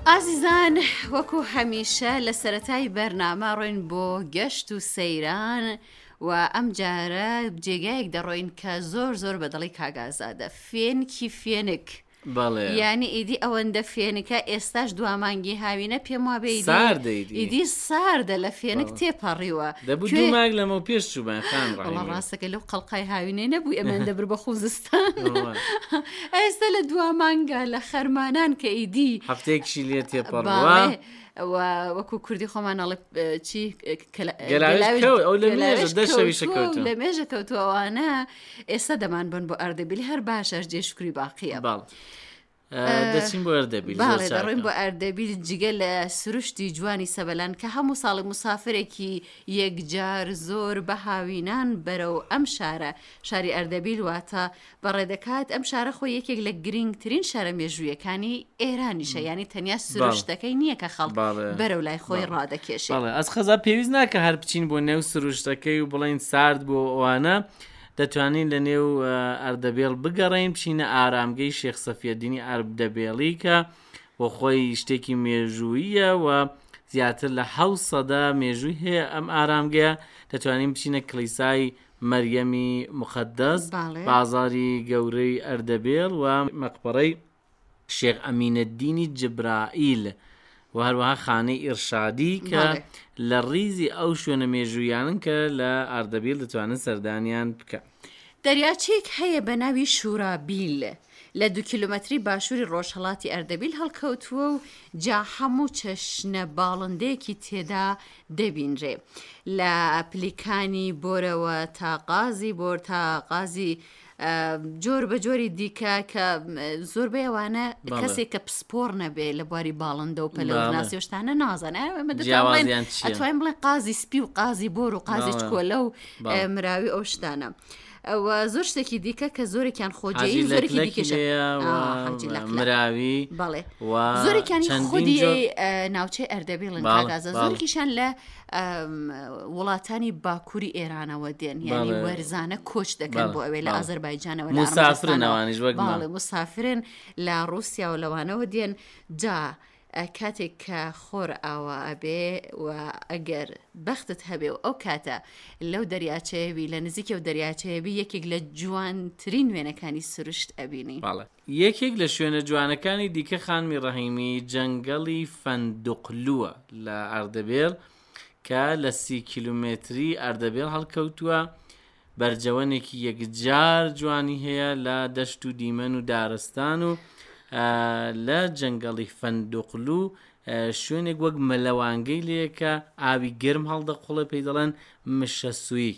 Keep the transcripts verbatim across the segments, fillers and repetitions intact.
ئازیزان وەکو هەمیشە لە سەرەتای بەرنامە ڕۆین بۆ گەشت و سەیران و ئەم جارە جێگایەک دەڕۆین کە زۆر زۆر بەدڵی کاگازادە فێنکی فێنک. بەڵێ. یانی ئیدی ئەوەندە فێنکە ئێستاش دوامانگی هاوینە پێم وابێ ئیدی ساردە ئیدی. ئیدی ساردە لە فێنک تێپەڕیوە. دەبوو کوێ دوو مانگ لەمەو پێش چووبان خان وەڵا ڕەحیمی. ڕاستەکە لەو قەڵقای هاوینەی نەبوو ئێمەیان دەبرد بە خوزستان. وەڵا. ئێستا لە دوا مانگا لە خەرمانان کە ئیدی هەفتەیەکیشی لێ تێپەڕووە. باڵێ و وەکو کوردی خۆمان ئەڵێ چی کەلا- گەلاوێژ گەلاوێژ کەوت ئەو لە مێژە گەلاوێژ دە شەویشە کەوتووە و کەوتووە. لە مێژە کەوتووە ئەوانە ئێستا دەمان بن بۆ ئەردەبیل هەر باشەش جێ شوکری باقیە. بەڵێ. دەچین بۆ ئەردەبیل زۆر باڵێ دەڕۆین چاکە. بۆ ئەردەبیل جگە لە سروشتی جوانی سەبەلان کە هەموو ساڵی مسافرێکی یەکجار زۆر بە هاوینان بەرەو ئەم شارە شاری ئەردەبیل واتە بەڕێ دەکات. ئەم شارە خۆی یەکێک لە گرنگترین شارە مێژوویەکانی ئێرانیشە، یعنی تەنیا سروشتەکەی نییە کە خەڵک بەڵێ. بەرەو لای خۆی بەڵێ. ڕادەکێشێ. بەڵێ ئەس خەزا پێویست ناکە هەر بچین بۆ نێو سروشتەکەی و بڵێن سارد بۆ ئەوانە، دەتوانین لە نێو ئەردەبێڵ بگەڕین بچینە ئارامگەی شێخ سەفیەدینی ئەردەبێڵی کە بۆ خۆی شتێکی مێژوویە و زیاتر لە حەوت سەدە مێژووی هەیە ئەم ئارامگەیە. دەتوانین بچینە کلیسای مەریەمی مقەدەس، بەڵێ. بازاری گەورەی ئەردەبێڵ و مەقبەرەی شێخ ئەمینەدینی جبرائیل و هەروەها خانەی ئیرشادی کە بەڵێ. لە ڕیزی ئەو شوێنە مێژوویانن کە لە ئەردەبیل دەتوانن سەردانیان بکەن. دەریاچەیەک هەیە بە ناوی شورابیل لە دوو کیلۆمەتری باشووری ڕۆژهەڵاتی ئەردەبیل هەڵکەوتووە و جا هەموو چەشنە باڵندەیەکی تێدا دەبینرێ لە پلیکانی بۆرەوە تا قازی بۆر تا قازی جۆر بە جۆری دیکە کە زۆربەی ئەوانە بەڵێ. کەسێک کە پسپۆر نەبێ لە بواری باڵندە و پەلەوەرناسی بەڵێ. و شتانە نازانێ. ئێمە دەتوانین جیاوازیان چییە؟ ئەتوانین بڵێن قازی سپی و قازی بۆر و قازی بەڵێ. چکۆلە و بەڵێ. مراوی ئەو شتانە. ئەوە زۆر شتێکی دیکە کە زۆرێکیان خۆجێی حاجی زۆرێکی لەکلەکی دیکەشە. لێیە و ئا، حاجی لەکلەک. مراوی بەڵێ. و زۆرێکیانی چەندین خودی جۆر ناوچەی ئەردەبیڵن بەڵێ، کاگازە. بەڵێ. زۆرێکیشان لە ئەم، وڵاتانی باکووری ئێرانەوە دێن، یعنی بەڵێ. وەرزانە کۆچ دەکەن بەڵێ، بۆ ئەوێ لە بەڵێ. ئازەربایجانەوە، لە مسافرن ئەرمەنستانەوە. ئەوانیش وەک ما. بەڵێ، مسافرن لە ڕووسیا و لەوانەوە دێن. جا کاتێک کە خۆر ئاوا ئەبێ و ئەگەر بەختت هەبێ و ئەو کاتە لەو دەریاچەیەوی لە نزیکی ئەو دەریاچەیەوی یەکێک لە جوانترین وێنەکانی سروشت ئەبینی. بەڵێ. یەکێک لە شوێنە جوانەکانی دیکە خانمی ڕەحیمی جەنگەڵی فەندقلووە لە ئەردەبێڵ کە لە سی کیلومتری ئەردەبێڵ هەڵکەوتووە. بەرجەوەنێکی یەکجار جوانی هەیە لە دەشت و دیمەن و دارستان و لە جەنگەڵی فەندقلو شوێنێک وەک مەلەوانگەی لەیەکە ئاوی گەرم هەڵدەقوڵێ پێی دەڵێن مشەسووی.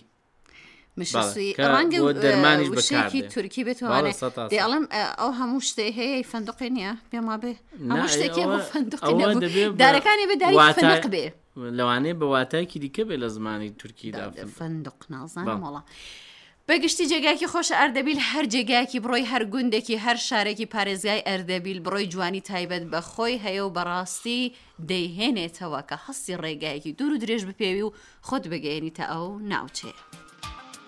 مشەسووی کە ڕەنگە بۆ دەرمانیش وشەیەکی بەکاردێ. تورکی بەڵێ، بێتوانێ. سەد تا دێ سەد. ئەڵێم ئەو هەموو شتێ هەیە فەندقی نییە، پێم وابێ نا، هەموو شتێکی ئەوە- هەموو فەندقی ئەوە نەبوو. دەبێ بە دارەکانی بێ داری واتای فندق بێ. لەوانەیە بە واتایەکی دیکە بێ لە زمانی تورکیدا دا- فندق نازانم بەڵێ. وەڵا. بەگشتی جێگایەکی خۆشە ئەردەبیل، هەر جێگایەکی بڕۆی، هەر گوندێکی، هەر شارێکی پارێزگای ئەردەبیل بڕۆی جوانی تایبەت بە خۆی هەیە و بەڕاستی دەیهێنێتەوە کە هەستی ڕێگایەکی دوور و درێژ بپێوی و خۆت بگەیەنیتە ئەو ناوچەیە.